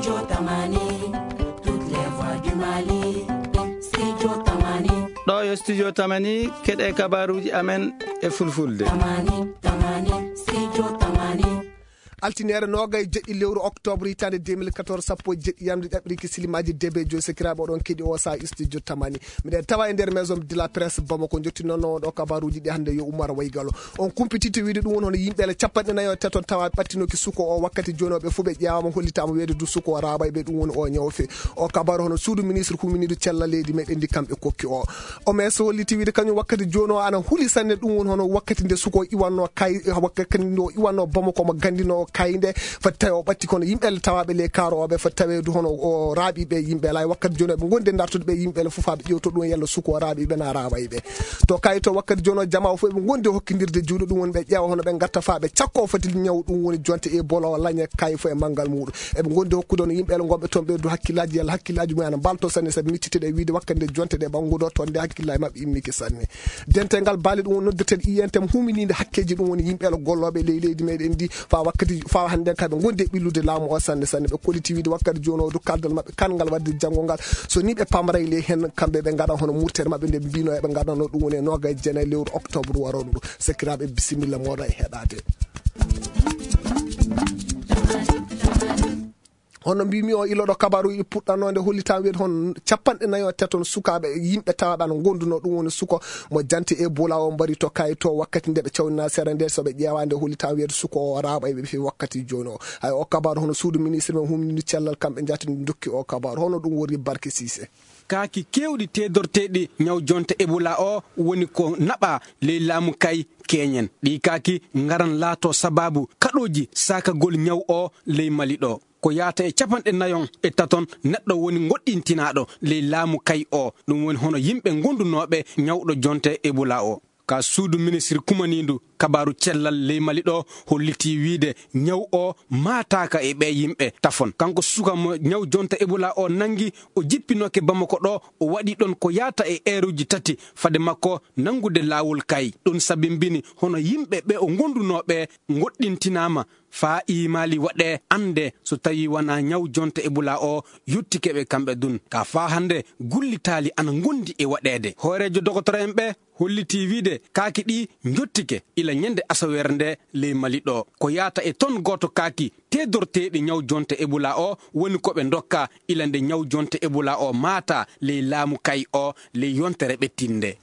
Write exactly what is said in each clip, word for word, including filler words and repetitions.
Studio Tamani, toutes les voix du Mali. Studio Tamani. Ɗo yo Studio Tamani, keɗe kabaruji amen e fulfulde. Tamani, Tamani, Studio Tamani. Altiniere nogay jeɗɗi lewru octobre hitande deux mille quatorze, sappo e jeɗɗi yamde ɗaɓɓiriki silimaji debe joyi. Sekiraɓe, oɗon keɗi o sa Studio Tamani. Miɗen tawa e nder maison de la presse Bamako, jottinonno on ɗo kabaruji ɗi hannde yo Oumar Waygalo. On kumpititi wiide ɗum woni hono yimɓe ele capanɗe nayo e taton tawa ɓattinoki suko o. Wakkati joni o ɓe fof ɓe ƴeewama, hollitama weede du suko o raaɓa e ɓe, ɗum woni o ñaw fe. O kabaru hono suudu ministre huminidu cella leydi meɗen ndi kamɓe kokki o. O mes holliti wiide kañum wakkati joni o ana huli sanne, ɗum woni hono wakkati nde suko o iwanno kay, wakkati nde o iwanno Bamako mo gandino o kayde. Fati tawi o ɓatti kono yimɓe ele tawaɓe ley kaaro o ɓe fati tawe du hono o raaɓi ɓe yimɓe ele. Ay wakkati joni o ɓe gondi e dartude ɓe yimɓe ele fof ha ɓe ƴewto ɗum yalla suko o raaɓi ɓe na raaɓay ɓe. To kay to wakkati joni o jama o fof ɓe gondi hokkidirde juuɗe, ɗum woni ɓe ƴeewa hono ɓe gatta fa ɓe cakko o foti ñaw, ɗum woni jonte e bolo o laña kay fof e manngal muɗum. Eɓe gondi hokkude hono yimɓe ele gonɓe toon ɓe du hakkillaji yalla hakkillaji mumen ana mbalto sanne sabi miccitiɗe e wiide wakkati nde jonte ɗe ɓannguɗo toon nde hakkillaji maɓɓe immiki sanne. Dental ngal baali ɗum woni noddeteɗe I N T M humininde hakkeji ɗum woni yimɓe ele gollooɓe ley leydi meɗen ndi fa wakkati fa hannde kaɓe gondi e ɓillude laamu o sanne sanne. Ɓe kolliti wiide wakkati joni o du kaldal maɓɓe kan ngal wadde janngo ngal so ni ɓe pamray ley hen kamɓe ɓe ngaɗa hono murtere maɓɓe nde mbino eɓe ngaɗano ɗum woni e noga e jeenayi lewru octobre waroɗo ɗo. Sekiraɓe bisimilla moɗo e heɗade. Hono mbimi o iloɗo kabaruji puɗɗanode hollitan weede hon capanɗe nayo teton sukaɓe yimɓe tawaɓe ana gonduno ɗum woni suko mo jante e bula o mbari to kay to wakkati nde ɓe cawnina sere nde soɓe ƴeewande hollitan weede suko o raɓa e ɓe fi wakkati joni o. Hay o kabaru hono suudu ministre men humnini cellal kamɓe jatini dokki o kabaru hono ɗum woni barke sise. Kaaki kewɗi teedorteeɗi ñaw jonte Ebola o woni ko naɓa ley laamu kay keñen. Ɗi kaaki ngaran laato sababu kaɗooji saakagol ñaw o ley Mali ɗo. Ko yaata e capanɗe nayon e taton neɗɗo woni ngoɗɗintinaaɗo ley laamu kay o. Ɗum woni hono yimɓe ngondunooɓe ñawɗo jonte Ebola o. Ka suudu ministri kumaniindu kabaaru cellal ley Mali ɗo hollitii wiide ñaw o maataaka e ɓee yimɓe tafon. Kanko suka mo ñaw jonta Ebola o nanngi, o jippinooke Bamako ɗo, o waɗi ɗon ko yaata e eeruuji tati fade makko nanngude laawol kay. Ɗum sabimbini hono yimɓe ɓe o ngondunoo ɓe ngoɗɗintinaama faa iimaali waɗee annde so tawii wanaa ñaw jonta Ebola o yottike ɓe kamɓe dun. Ka faa hannde gullitaali ana ngondi e waɗeede. Hooreejo dogotore'en ɓe hollitii wiide kaaki ɗi njottike ila ñande asaweere nde ley Mali ɗo. Ko yaata e ton gooto kaaki teedorteeɗi ñaw jonte Ebola o woni ko ɓe ndokka ila nde ñaw jonte Ebola o maata ley laamu kay o ley yontere ɓettinnde.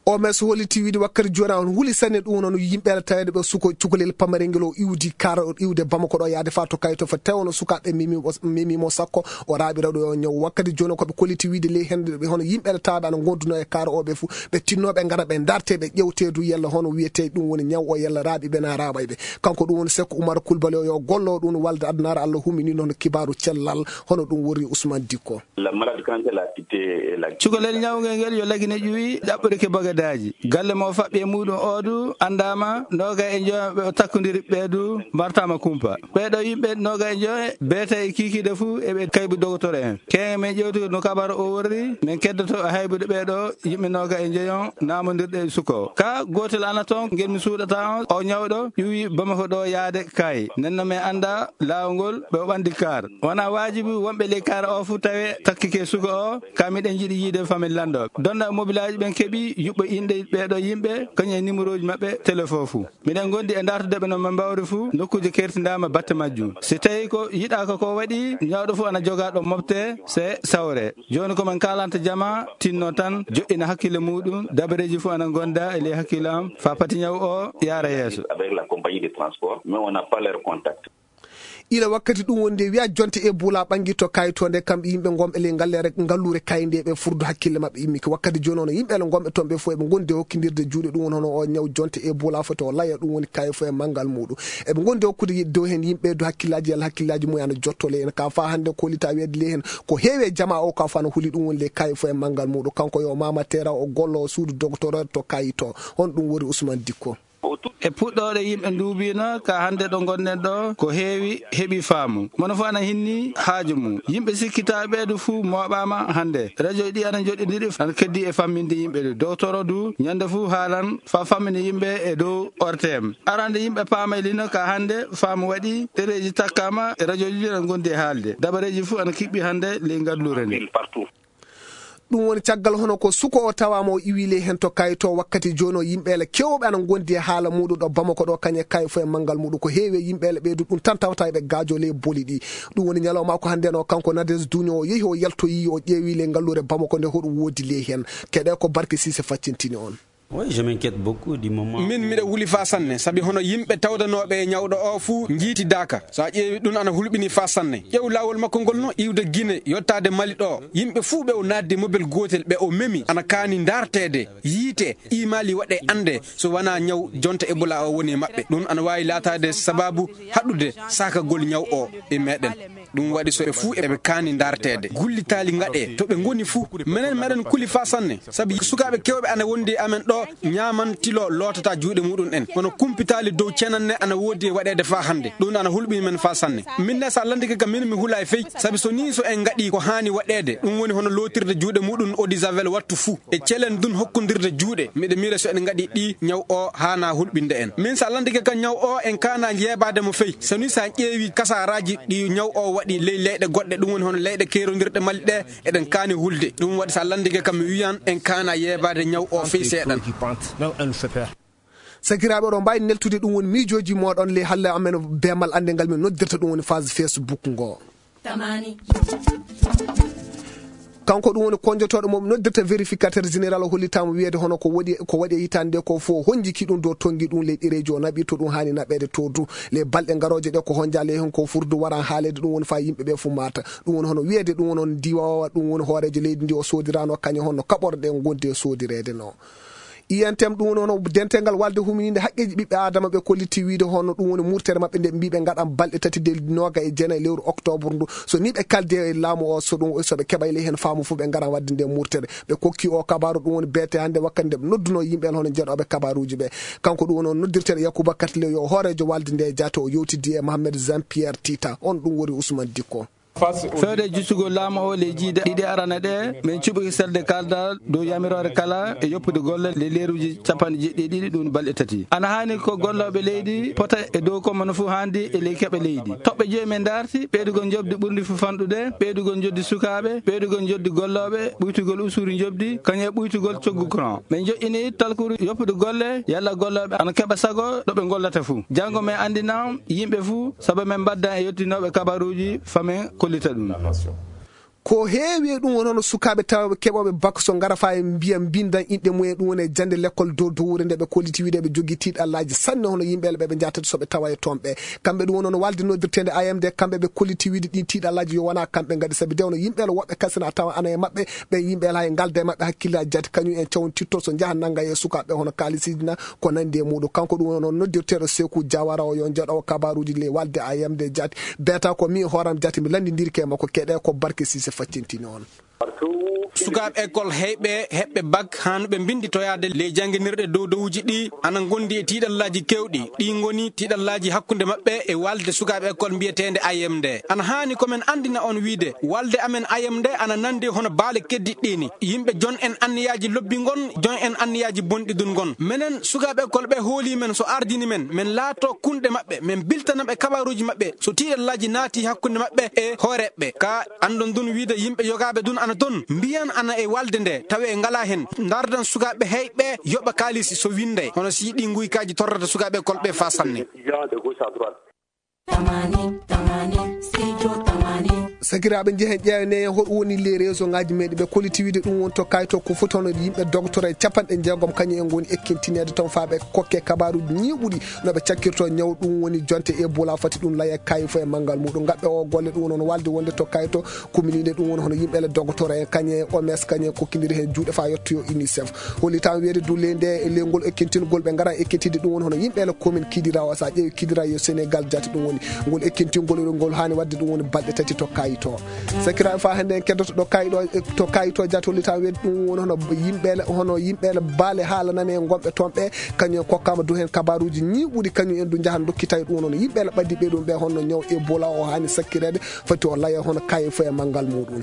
O mes holliti wiide wakkati jooni on huli sanne ɗum noon yimɓe ala taweede ɓe suko cukalel pamarel ngel o iwdi kara o iwde Bamako ɗo yaade faa to kay to fa tawono sukaaɓe memi o memi mo sakko o raaɓira ɗo o ñaw. Wakkati jooni ko ɓe kolliti wiide ley hende ɓe hono yimɓe ɗe tawɓe ana gonduno e kaara o ɓe fu ɓe tinno ɓe ngara ɓe darte ɓe ƴewte du yalla hono wiyete ɗum woni ñaw o yalla raaɓi ɓe na raaɓay ɓe. Kanko ɗum woni Sekko Umar Kulbali o yo gollo ɗum walde adunaaru Allah humini noon kibaaru cellal hono ɗum wori Ousmane Dikko. La malade quand elle a quitté la cukalel ñawngel ngel yo lagine ƴuwi ɗaɓɓorike bagadaji galle mo faɓɓi e muɗum o du andama noga e joyo ɓe o takkondiri ɓe du mbartama kumpa. Ɓeeɗo yimɓe noga e joyo beeta e kikiɗe fuu eɓe kaybu dogotoro en. Keŋe men ƴewtude no kabaro o worri, men keddoto e haybude ɓeeɗo yimɓe noga e joyo namondirɗe e suko. Ka gotel ana ton ngel mi suuɗata on, o ñawɗo ƴuwi Bamako ɗo yaade kay. Nenno men anda laawol ngol ɓe o ɓandi kar. Wona waajibi wonɓe ley kar o fuu tawe takkike suko o, ka miɗen jiɗi yiide famille lanɗo. Donda mobilaaji ɓen keɓi yuɓɓo inɗe ɓeeɗo yimɓe, kañum e numéroji maɓɓe téléphone fuu. Miɗen gondi e dartude ɓe no ɓe mbawri fuu, nokkuuje kertindaama batte majjum. Si tawi ko yiɗaaka ko waɗi, ñawɗo fuu ana jogaa ɗo mofte, se sawre. Jooni ko men kaalanta jama, tinno tan, joɗɗina hakkille muɗum, dabareeji fuu ana gonda e ley hakkille am, faa pati ñaw o yaara yeeso. Avec la compagnie de transport, mais on n'a pas leur contact. Ila wakkati ɗum woni nde wiya jonte e bula ɓangi to kayito nde kamɓe yimɓe gomɓe ley ngallere ngallure kayde ɓe furdu hakkille maɓɓe immiki wakkati joni ono yimɓe ele gomɓe toon ɓe fof eɓe gondi e hokkidirde juuɗe ɗum woni hono o ñaw jonte e bula foti o laya ɗum woni kayi fof e manngal muɗum eɓe gondi hokkude dow heen yimɓe dow hakkillaji yalla hakkillaji mumen ana jotto ley en ka fa hannde kolita weede ley heen ko heewi e jama o ka fa no huli ɗum woni ley kayi fof e manngal muɗum kanko yo mama tera o gollo o suudu docteur to kayito on ɗum woni Ousmane Dikko. E puɗɗooɗe yimɓe nduubiino ka hannde ɗo ngonɗen ɗo, ko heewi heɓi faamu. Mono fof ana hinni haaju mum. Yimɓe sikkitaaɓe ɓeeɗo fuu mooɓaama hannde. Radio ɗi ana njoɗɗindiri, ana keddi e famminde yimɓe ɗo. Dowtoro du, ñande fuu haalan faa fammina yimɓe e dow O R T M. Arande yimɓe paamaylino ka hannde, faamu waɗi, ɗereeji takkaama, e radio ji ana ngondi e haalde. Dabareeji fuu ana kiɓɓi hannde ley ngalluure nde. Ɗum woni caggal hono ko suko o tawaama o iwi ley heen to kayto wakkati jooni o yimɓe ala keewɓe ana ngondi e haala muɗum ɗo Bamako ɗo kañe kayi fof e manngal muɗum ko heewi e yimɓe ala ɓeydu ɗum tan tawata eɓe gaajo ley boli ɗi. Ɗum woni ñalawma ko hannde no kanko Nadez Duño o yehi o yaltoyi o ƴeewi ley ngalluure Bamako nde hoɗum woodi ley heen. Keɗe ko Barke Sise faccintini on. Oui, je m'inquiète beaucoup du moment. Min miɗa huli faa sanne, sabi hono yimɓe tawdanooɓe e ñawɗo o fuu njiitidaaka. So a ƴeewi ɗum ana hulɓini faa sanne. Ƴeew laawol makko ngol no iwde Gine yottaade Mali ɗo. Yimɓe fuu ɓe o naatdi mobel gootel ɓe o memi ana kaani ndaarteede. Yiite, imaali waɗe annde so wanaa ñaw jonta Ebola o woni e maɓɓe. Ɗum ana waawi laataade sabaabu haɗude saakagol ñaw o e meɗen. Ɗum waɗi so ɓe fuu eɓe kaani ndaarteede. Gullitaali ngaɗee to ɓe ngoni fuu. Menen meɗen kuli faa sanne. Sabi sukaaɓe keewɓe ana wondi e amen ɗo ñaaman tilo lootata juuɗe muɗum en. Kono kumpitaali dow cenan ne ana woodi e waɗeede faa hannde. Ɗum ana hulɓini men faa sanne. Min ne so a landike kam min mi hula e fey. Sabi so nii so en ngaɗi ko haani waɗeede. Ɗum woni hono lootirde juuɗe muɗum eau de javel wattu fuu. E celen dun hokkondirde juuɗe. Miɗa miira so en ngaɗi ɗi ñaw o haana hulɓinde en. Min so a landike kam ñaw o en kaana yeebaade mo fey. So nii so a ƴeewi kasaaraaji ɗi ñaw o waɗi ley leyɗe goɗɗe ɗum woni hono leyɗe keerondirɗe Mali ɗe eɗen kaani hulde. Ɗum waɗi so a landike kam mi wiyan en kaana yeebaade ñaw o fey seeɗan. Sakiraaɓe oɗon mbaawi neltude ɗum woni miijooji mooɗon ley halle amen beemal annde ngal min noddirta ɗum woni phase Facebook ngo. Tamani. Kanko ɗum woni konjotooɗo mo noddirta vérificateur général o hollitaama wiyeede hono ko waɗi ko waɗi e hitaande nde ko fof honjiki ɗum dow tonngi ɗum ley ɗereeji o naɓi to ɗum haani naɓeede to du ley balɗe ngarooje ɗe ko honja ley heen ko furdu waran haaleede ɗum woni faa yimɓe ɓe fof maata. Ɗum woni hono wiyeede ɗum woni on diwawa ɗum woni hooreejo leydi ndi o soodirano kañum hono kaɓorɗe ngondi e soodireede no. I N T M ɗum woni hono dentegal walde humininde haqqeeji ɓiɓɓe aadama ɓe kolliti wiide hono ɗum woni murtere maɓɓe nde mbiɓe ngaɗan balɗe tati de nooga e jeenayi lewru octobre ndu so ni ɓe kalde e laamu o so ɗum so ɓe keɓay ley heen faamu fof ɓe ngaran wadde nde murtere. Ɓe kokki o kabaru ɗum woni beete hannde wakkati nde ɓe nodduno yimɓe en hono jeeɗooɓe kabaruuji ɓe. Kanko ɗum woni on noddirteeɗo Yakuba Katle yo hooreejo walde nde jaate o yewtidi e Mohamed Jean Pierre Tita on ɗum woni Ousmane Dikko. Fewde e justugol laamu o ley jiiɗe ɗiɗi arana ɗe, min cuɓi selde kaldal dow yamiroore kala e yoppude golle ley leeruuji capanɗe jeeɗiɗi ɗiɗi ɗum balɗe tati. Ana haani ko gollooɓe leydi pota e dow ko mono fof haandi e ley keɓe leydi. Toɓɓe joyi min ndaarti, ɓeydugol njoɓdi ɓurndi fof fanɗude, ɓeydugol njoɓdi sukaaɓe, ɓeydugol njoɓdi gollooɓe, ɓuytugol usuri njoɓdi, kañum e ɓuytugol coggu courant. Min joƴƴini talkuru yoppude golle, yalla gollooɓe ana keɓa sago ɗo ɓe ngollata fof. Janngo min anndina yimɓe fof, sabu min mbaddan e yottinooɓe kabaruuji, faa min kollita ɗum. Ko heewi e ɗum woni hono sukaaɓe tawɓe keɓooɓe bak so ngara faa e mbiya mbindan inɗe mum e ɗum woni e jannde lekkol dow dowuure nde ɓe kolliti wiide ɓe jogii tiiɗallaaji sanne hono yimɓe ɓe ɓe njahata so ɓe tawa e toon ɓe. Kamɓe ɗum woni hono walde noddirteende I M D, kamɓe ɓe kolliti wiide ɗin tiiɗallaaji yo wonaa kamɓe ngaɗi, sabi de hono yimɓe woɓɓe kasina tawa ana e maɓɓe, ɓen yimɓe hay ngalda e maɓɓe hakkillaaji jaati, kañum en cawontitto so njaha nannga e sukaaɓe hono kaalisiiji na ko nanndi e muɗum. Kanko ɗum woni hono noddirteeɗo Seeku Jawara o yo jaɗo kabaruuji ley walde I M D jaati. Beeta ko mi hooram jaati mi lanndindirke e makko keɗe ko Barke Sise faccintini on. Sukaaɓe école heyɓe heɓɓe bak haanuɓe mbinnditoyaade ley jannginirɗe dow dowuuji ɗi ana ngondi e tiiɗallaaji keewɗi. Ɗi ngoni tiiɗallaaji hakkunde maɓɓe e walde sukaaɓe école mbiyeteende I M D. Ana haani ko men anndina on wiide walde amen I M D ana nanndi hono baale keddiɗɗi ni. Yimɓe jon en anniyaaji lobbi ngon, jon en anniyaaji bonɗi dun ngon. Menen sukaaɓe école ɓe hoolii men so ardini men, men laato kunɗe maɓɓe, men biltana ɓe kabaruuji maɓɓe so tiiɗallaaji naati hakkunde maɓɓe e hooreeɓe. Ka anndon dun wiide yimɓe yogaaɓe dun ana ton, mbiyan ana e walde nde, tawe ngalaa hen. Ndardan sukaaɓe heyɓe yoɓa kaalisi so winnde, hono si ɗi nguykaaji torrata sukaaɓe école ɓe faa sanne. Tamani, tamani, studio tamani. Sakiraaɓe, njehen ƴeewnee hoɗum woni les réseau ngaji meɗen ɓe kolliti wiide ɗum woni to kayto ko foti hono yimɓe dogotoro e capanɗe jeegom kañum en ngoni ekkintineede toon faa ɓe kokke kabaruuji ñiiɓuɗi no ɓe cakkirto ñaw ɗum woni jonte Ebola fati ɗum laya kayi fof e manngal muɗum. Ngaɓɓe o golle ɗum woni hono walde wonde to kayto commune ɗe ɗum woni hono yimɓe le dogotoro en kañum e O M S kañum e kokkindiri heen juuɗe faa yettoyo UNICEF. Hollitaama wiyeede du ley nde e ley ngol ekkintingol ɓe ngara ekkintiiɗe ɗum woni hono yimɓe le commune Kidira o. So a ƴeewi Kidira yo Sénégal jaati ɗum woni ngol ekkintingol ngol haani waɗde ɗum woni balɗe tati to kayi. To sakiraaɓe, faa hannde en keddoto ɗo kayɗo to kayito jatolita weɗi ɗum woni hono yimɓeele hono yimɓeele baale haala nane e gonɓe toon ɓe, kañum en kokkaama du heen kabaruuji ñiiɓuɗi, kañum en du njahan dokkitay ɗum woni hono yimɓeele ɓaddiɓe ɗum ɓe honno ñaw Ebola o haani sakkireede, foti o layo hono kaye fof e manngal muɗum.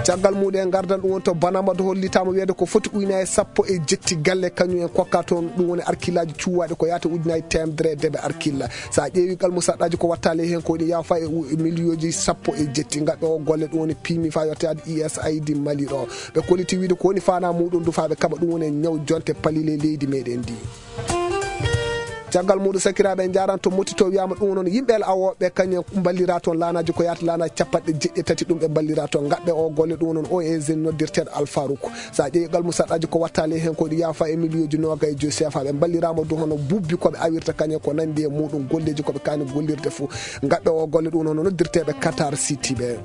Caggal muɗum en ngardan ɗum woni to Banama, to hollitaama weede ko foti ujunaaji sappo e jetti galle kañum en kokka toon, ɗum woni arkillaaji cuwaaɗi ko yahata ujunaaji teemedere e deeɓe arkilla. So a ƴeewi gal musaɗɗaaji ko wattaali heen ko ɗi yaafa e u- e miliyooji sappo e jetti ngaɓɓe o golle ɗum woni pimi faa yottaade usaid Mali ɗo. Ɓe kolliti wiide ko woni faanaa muɗum du faa ɓe kaɓa ɗum woni e ñaw jonte palile leydi meɗen ndi. Caggal muɗum sakiraaɓe en njaran to motti to wiyama ɗum noon yimɓe el awooɓe kañum ballira toon laanaaji ko yahata laanaaji capanɗe jeɗɗi e tati ɗum ɓe ballira toon ngaɓɓe o golle ɗum noon o e jeune noddirteeɗo Alfaruk. So a ƴeewi gal musaɗɗaaji ko wattaali heen ko ɗi yaafa e miliyooji noogaye e joyi seefa ɓe mballiraama du hono bubbi ko ɓe awirta kañum ko nanndi e muɗum golleeji ko ɓe kaani gollirde fof ngaɓɓe o golle ɗum hono noddirteeɓe Qatar City ɓe.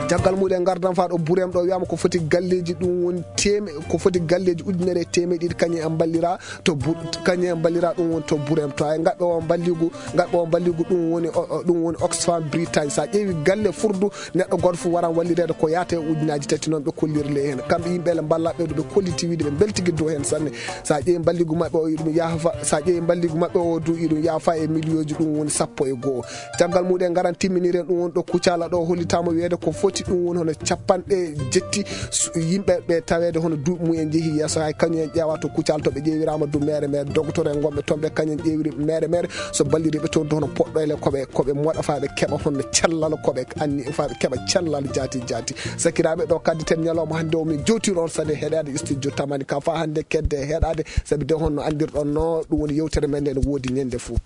Caggal muɗum en ngardan faa ɗo Burem ɗo wiyama ko foti galleeji ɗum woni teme ko foti galleeji ujunere e temeɗe ɗiɗi kañum en mballira to bu kañum en mballira ɗum woni to Burem to ay ngaɓɓe o mballigu ngaɓɓe o mballigu ɗum woni o- o- ɗum woni Oxfam Britagne. So a ƴeewi galle furdu neɗɗo gooto fof waran wallireede ko yaata e ujunaaji tati noon ɓe kolliri ley heen kamɓe yimɓe ele mballa ɓe ɗo ɓe kolliti wiide ɓe mbeltigi dow heen sanne. So a ƴeewi mballigu maɓɓe o iɗum yaafa so a ƴeewi mballigu maɓɓe o du iɗum yaafa e miliyooji ɗum woni sappo e goo. Caggal muɗum en ngaran timminiren ɗum woni ɗo Kucala ɗo hollitaama weede ko foti ɗum woni hono capanɗe jetti yimɓe ɓe taweede hono duuɓi mum en njehi yeeso hay kañum en ƴeewa to Kucala to ɓe ƴeewiraama du mere mere dogotoro en gonɓe toon ɓe kañum en ƴeewiri mere mere so balliriiɓe toon du hono poɗɗoyle koɓe koɓe moɗa faa ɓe keɓa honno cellal koɓe anni faa ɓe keɓa cellal jaati jaati. Sakiraaɓe ɗo kaddi ten ñalawma hannde o min jowtiri on sade heɗaade studio tamani ka faa hannde kedde heɗaade sabi de honno anndirɗon no ɗum woni yewtere men nde no woodi ñande fof.